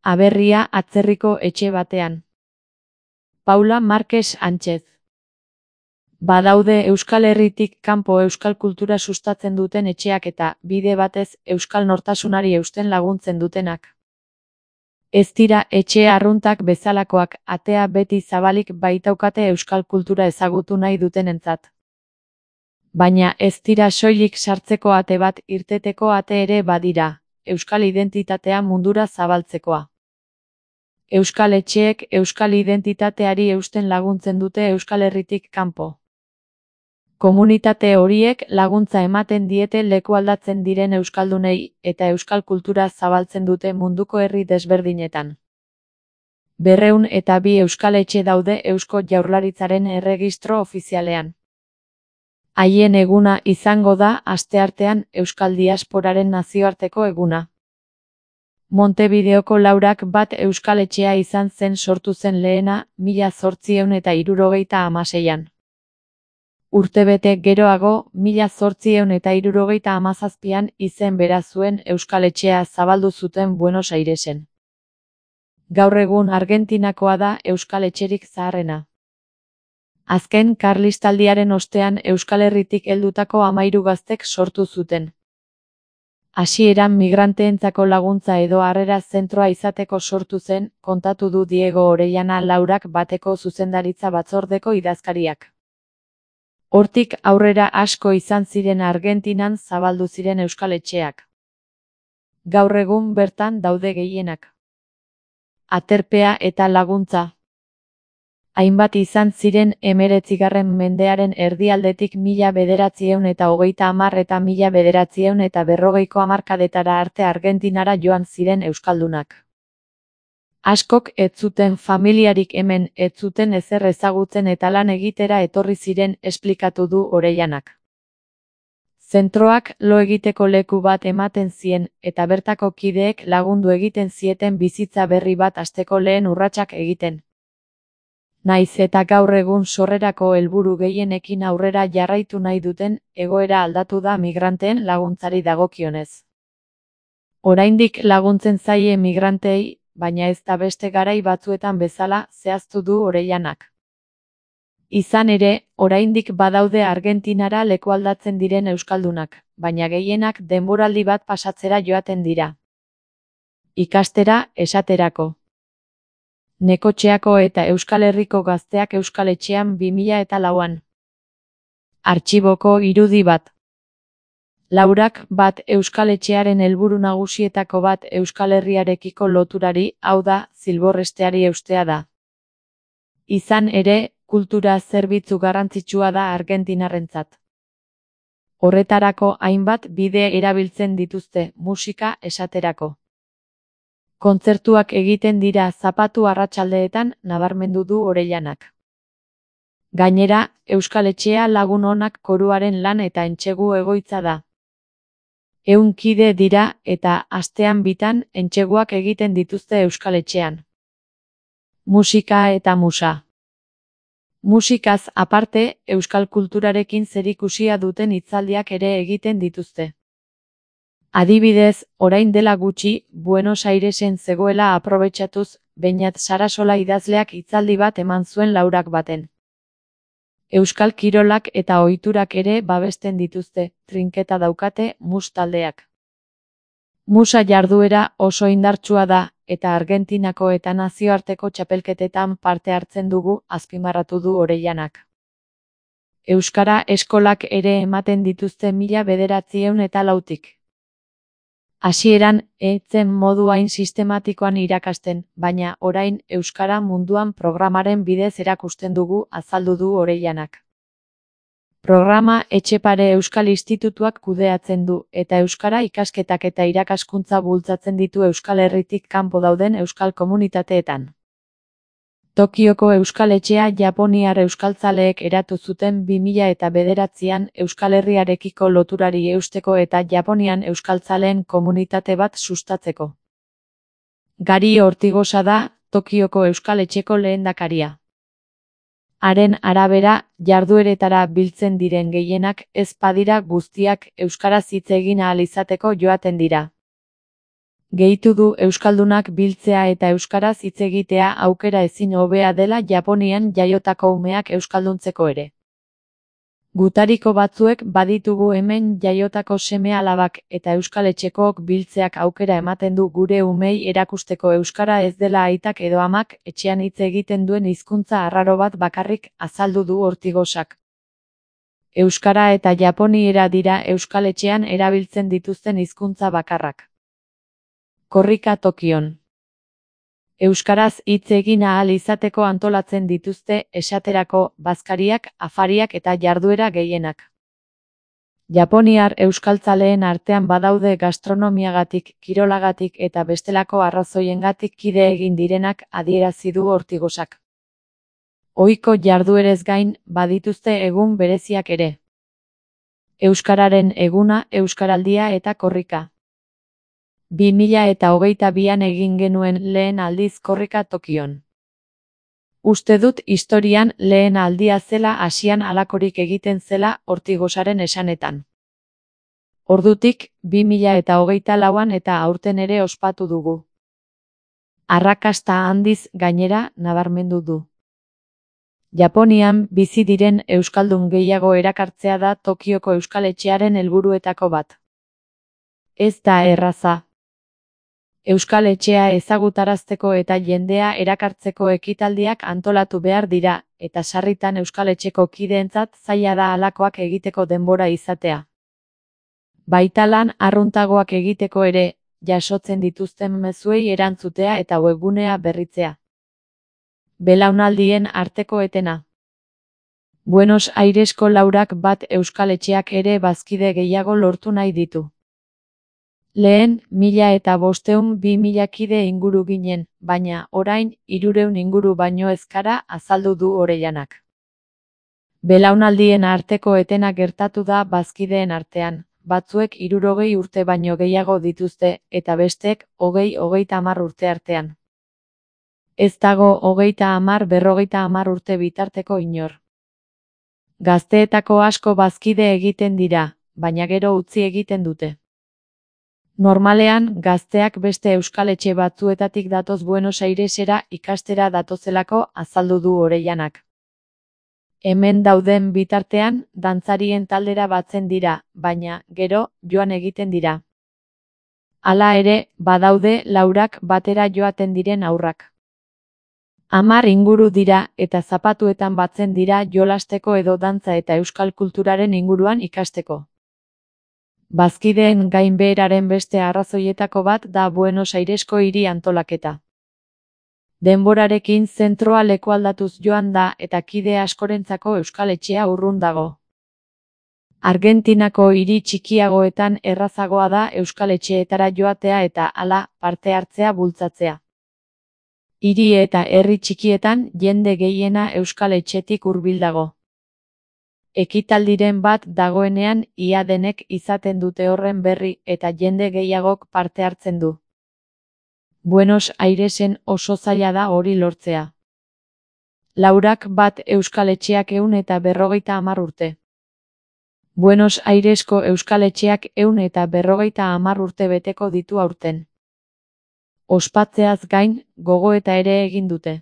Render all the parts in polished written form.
Aberria atzerriko etxe batean. Paula Marques Sánchez. Badaude Euskal Herritik kanpo euskal kultura sustatzen duten etxeak eta, bide batez, euskal nortasunari eusten laguntzen dutenak. Ez dira etxe arruntak bezalakoak, atea beti zabalik baitaukate euskal kultura ezagutu nahi dutenentzat. Baina ez dira soilik sartzeko ate bat, irteteko ate ere badira, euskal identitatea mundura zabaltzekoa. Euskal etxeek euskal identitateari eusten laguntzen dute Euskal Herritik kanpo. Komunitate horiek laguntza ematen diete lekualdatzen diren euskaldunei eta euskal kultura zabaltzen dute munduko herri desberdinetan. 202 euskal etxe daude Eusko Jaurlaritzaren erregistro ofizialean. Haien eguna izango da asteartean Euskal Diasporaren nazioarteko eguna. Montevideoko 201 euskal etxea izan zen sortu zen lehena 1876an. Urtebete geroago, 1877an izen bera zuen euskal etxea zabaldu zuten Buenos Airesen. Gaur egun Argentinakoa da euskal etxerik zaharrena. Azken Karlistaldiaren ostean Euskal Herritik heldutako 13 gaztek sortu zuten. Hasieran migranteentzako laguntza edo harrera zentroa izateko sortu zen, kontatu du Diego Orellana 201 zuzendaritza batzordeko idazkariak. Hortik aurrera asko izan ziren Argentinan zabaldu ziren euskal etxeak. Gaur egun bertan daude gehienak. Aterpea eta laguntza. Hainbat izan ziren 19. mendearen erdialdetik 1930 eta 1940ko hamarkadetara arte Argentinara joan ziren euskaldunak. Askok ez zuten familiarik hemen, ez zuten ezer ezagutzen eta lan egitera etorri ziren, esplikatu du Orellanak. Zentroak lo egiteko leku bat ematen zien, eta bertako kideek lagundu egiten zieten bizitza berri bat hasteko lehen urratsak egiten. Naiz eta gaur egun sorrerako helburu gehienekin aurrera jarraitu nahi duten, egoera aldatu da migranteen laguntzari dagokionez. Oraindik laguntzen zaie migrantei, baina ez da beste garai batzuetan bezala, zehaztu du Orellanak. Izan ere, oraindik badaude Argentinara lekualdatzen diren euskaldunak, baina gehienak denboraldi bat pasatzera joaten dira. Ikastera, esaterako. Nekotxeako eta Euskal Herriko gazteak euskal etxean 2004an. Artxiboko irudi bat. 201 euskal etxearen helburu nagusietako bat Euskal Herriarekiko loturari, hau da, zilborresteari eustea da. Izan ere, kultura zerbitzu garrantzitsua da argentinarrentzat. Horretarako hainbat bide erabiltzen dituzte, musika esaterako. Kontzertuak egiten dira zapatu arratsaldeetan, nabarmendu du Orellanak. Gainera, euskal etxea Lagun Onak koruaren lan eta entsegu egoitza da. 100 kide dira eta astean bitan entseguak egiten dituzte euskal etxean. Musika eta musa. Musikaz aparte, euskal kulturarekin zerikusia duten hitzaldiak ere egiten dituzte. Adibidez, orain dela gutxi, Buenos Airesen zegoela aprobetxatuz, Beñat Sarasola idazleak hitzaldi bat eman zuen 201. Euskal kirolak eta ohiturak ere babesten dituzte, trinketa daukate mus taldeak. Musa jarduera oso indartsua da, eta Argentinako eta nazioarteko txapelketetan parte hartzen dugu, azpimarratu du Orellanak. Euskara eskolak ere ematen dituzte 1904tik. Hasieran, etzen modu hain sistematikoan irakasten, baina orain Euskara munduan programaren bidez erakusten dugu, azaldu du Orellanak. Programa Etxepare Euskal Institutuak kudeatzen du, eta euskara ikasketak eta irakaskuntza bultzatzen ditu Euskal Herritik kanpo dauden euskal komunitateetan. Tokioko euskal etxea japoniar euskaltzaleek eratu zuten 2009an Euskal Herriarekiko loturari eusteko eta Japonian euskaltzaleen komunitate bat sustatzeko. Gari Ortigosa da, Tokioko euskal etxeko lehendakaria. Haren arabera, jardueretara biltzen diren gehienak ez badira guztiak euskaraz hitz egin ahal izateko joaten dira. Gehitu du euskaldunak biltzea eta euskaraz hitz egitea aukera ezin hobea dela Japonian jaiotako umeak euskalduntzeko ere. Gutariko batzuek baditugu hemen jaiotako seme-alabak eta euskaletxekook biltzeak aukera ematen du gure umei erakusteko euskara ez dela aitak edo amak etxean hitz egiten duen hizkuntza arraro bat bakarrik, azaldu du Ortigosak. Euskara eta japoniera dira euskaletxean erabiltzen dituzten hizkuntza bakarrak. Korrika Tokion. Euskaraz hitz egin ahal izateko antolatzen dituzte esaterako bazkariak, afariak eta jarduera gehienak. Japoniar euskaltzaleen artean badaude gastronomiagatik, kirolagatik eta bestelako arrazoiengatik kide egin direnak, adierazi du Ortigosak. Ohiko jarduerez gain, badituzte egun bereziak ere. Euskararen eguna, euskaraldia eta korrika. 2022an egin genuen lehen aldiz korrika Tokion. Uste dut historian lehen aldia zela Asian halakorik egiten zela Ortigosaren esanetan. Ordutik, 2024an eta aurten ere ospatu dugu. Arrakasta handiz gainera nabarmendu du. Japonian bizi diren euskaldun gehiago erakartzea da Tokioko euskaletxearen helburuetako bat. Ez da erraza. Euskaletxea ezagutarazteko eta jendea erakartzeko ekitaldiak antolatu behar dira, eta sarritan euskaletxeko kideentzat zaila da halakoak egiteko denbora izatea. Baita lan arruntagoak egiteko ere, jasotzen dituzten mezuei erantzutea eta webgunea berritzea. Belaunaldien arteko etena. Buenos Airesko laurak bat euskaletxeak ere bazkide gehiago lortu nahi ditu. Lehen, 1500-2000 kide inguru ginen, baina, orain, 300 inguru baino ezkara, azaldu du Orellanak. Belaunaldien arteko etena gertatu da bazkideen artean, batzuek 60 urte baino gehiago dituzte, eta bestek, 20-30 urte artean. Ez dago 30-40 urte bitarteko inor. Gazteetako asko bazkide egiten dira, baina gero utzi egiten dute. Normalean, gazteak beste euskaletxe batzuetatik datoz Buenos Airesera ikastera datozelako, azaldu du Orellanak. Hemen dauden bitartean, dantzarien taldera batzen dira, baina, gero, joan egiten dira. Hala ere, badaude laurak batera joaten diren haurrak. 10 inguru dira eta zapatuetan batzen dira jolasteko edo dantza eta euskal kulturaren inguruan ikasteko. Bazkideen gainbeheraren beste arrazoietako bat da Buenos Airesko hiri antolaketa. Denborarekin zentroa lekualdatuz joan da eta kide askorentzako euskaletxea urrun dago. Argentinako hiri txikiagoetan errazagoa da euskaletxeetara joatea eta hala parte hartzea bultzatzea. Hiri eta herri txikietan jende gehiena euskaletxetik hurbil dago. Ekitaldiren bat dagoenean ia denek izaten dute horren berri eta jende gehiagok parte hartzen du. Buenos Airesen oso zaila da hori lortzea. Laurak bat euskaletxeak 150 urte. Buenos Airesko euskaletxeak 150 urte beteko ditu aurten. Ospatzeaz gain, gogoeta ere egin dute.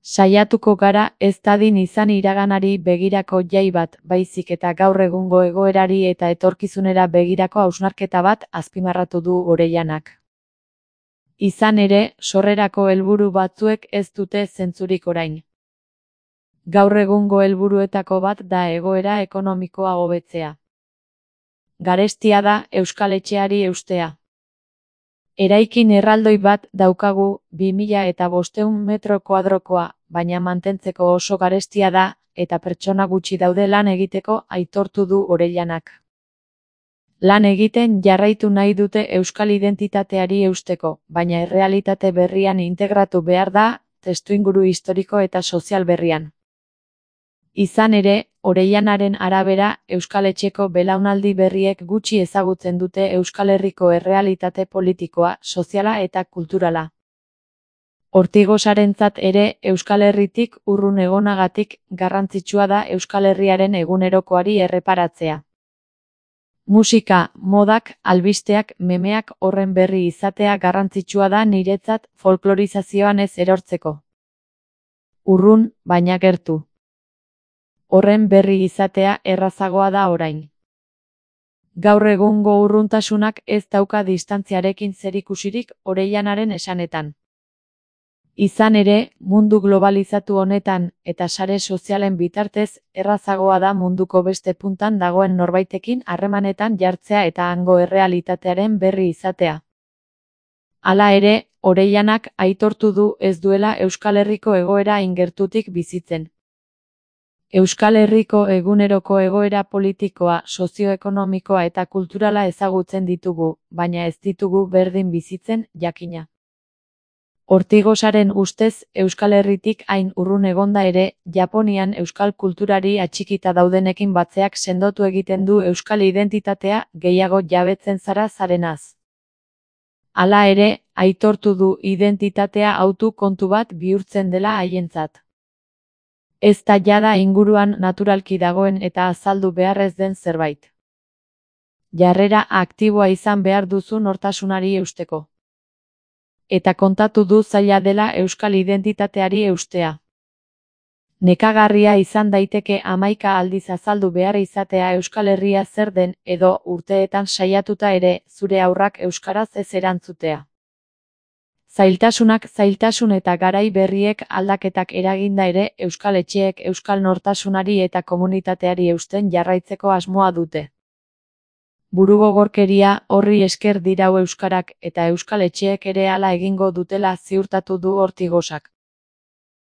Saiatuko gara ez dadin izan iraganari begirako jai bat, baizik eta gaur egungo egoerari eta etorkizunera begirako hausnarketa bat, azpimarratu du Orellanak. Izan ere, sorrerako helburu batzuek ez dute zentzurik orain. Gaur egungo helburuetako bat da egoera ekonomikoa hobetzea. Garestia da euskaletxeari eustea. Eraikin erraldoi bat daukagu 2500 metro kuadrokoa, baina mantentzeko oso garestia da, eta pertsona gutxi daude lan egiteko, aitortu du Orellanak. Lan egiten jarraitu nahi dute euskal identitateari eusteko, baina errealitate berrian integratu behar da, testuinguru historiko eta sozial berrian. Izan ere, Orellanaren arabera, euskaletxeko belaunaldi berriek gutxi ezagutzen dute Euskal Herriko errealitate politikoa, soziala eta kulturala. Ortigosarentzat ere, Euskal Herritik urrun egonagatik garrantzitsua da Euskal Herriaren egunerokoari erreparatzea. Musika, modak, albisteak, memeak horren berri izatea garrantzitsua da niretzat folklorizazioan ez erortzeko. Urrun, baina gertu. Horren berri izatea errazagoa da orain. Gaur egungo urruntasunak ez dauka distantziarekin zerikusirik Oreillanaren esanetan. Izan ere, mundu globalizatu honetan eta sare sozialen bitartez errazagoa da munduko beste puntan dagoen norbaitekin harremanetan jartzea eta hango errealitatearen berri izatea. Hala ere, Oreillanak aitortu du ez duela Euskal Herriko egoera ingertutik bizitzen. Euskal Herriko eguneroko egoera politikoa, sozioekonomikoa eta kulturala ezagutzen ditugu, baina ez ditugu berdin bizitzen, jakina. Ortigosaren ustez, Euskal Herritik hain urrun egonda ere, Japonian euskal kulturari atxikita daudenekin batzeak sendotu egiten du euskal identitatea gehiago jabetzen zara zarenaz. Hala ere, aitortu du identitatea hautu kontu bat bihurtzen dela haientzat. Ez da jada inguruan naturalki dagoen eta azaldu beharrez den zerbait. Jarrera aktiboa izan behar duzu nortasunari eusteko. Eta kontatu du zaila dela euskal identitateari eustea. Nekagarria izan daiteke 11 aldiz azaldu behar izatea Euskal Herria zer den edo urteetan saiatuta ere zure haurrak euskaraz ez erantzutea. Zailtasunak zailtasun eta garai berriek aldaketak eraginda ere euskal etxeek euskal nortasunari eta komunitateari eusten jarraitzeko asmoa dute. Burugogorkeria horri esker dirau euskarak eta euskal etxeek ere hala egingo dutela ziurtatu du Ortigosak.